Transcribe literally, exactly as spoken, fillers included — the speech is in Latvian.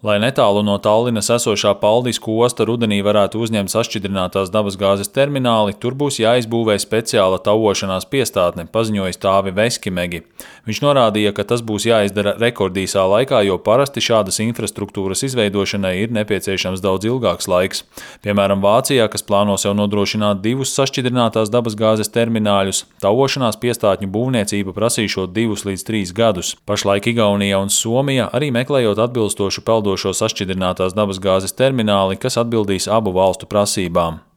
Lai netālu no Tallinas esošā Paldisko osta rudenī varētu uzņemt sašķidrinātās dabasgāzes termināli, tur būs jāizbūvē speciāla tauošanās piestātne, paziņoja Tāvi Veskimegi. Viņš norādīja, ka tas būs jāizdara rekordīsā laikā, jo parasti šādas infrastruktūras izveidošanai ir nepieciešams daudz ilgāks laiks. Piemēram, Vācijā, kas plāno sev nodrošināt divus sašķidrinātās dabasgāzes termināļus, tauošanās piestātņu būvniecība prasīšot divus līdz trīs gadus. Pašlaik Igaunija un Somija arī meklējot atbilstošu peldošo sašķidrinātās dabasgāzes termināli, kas atbildīs abu valstu prasībām.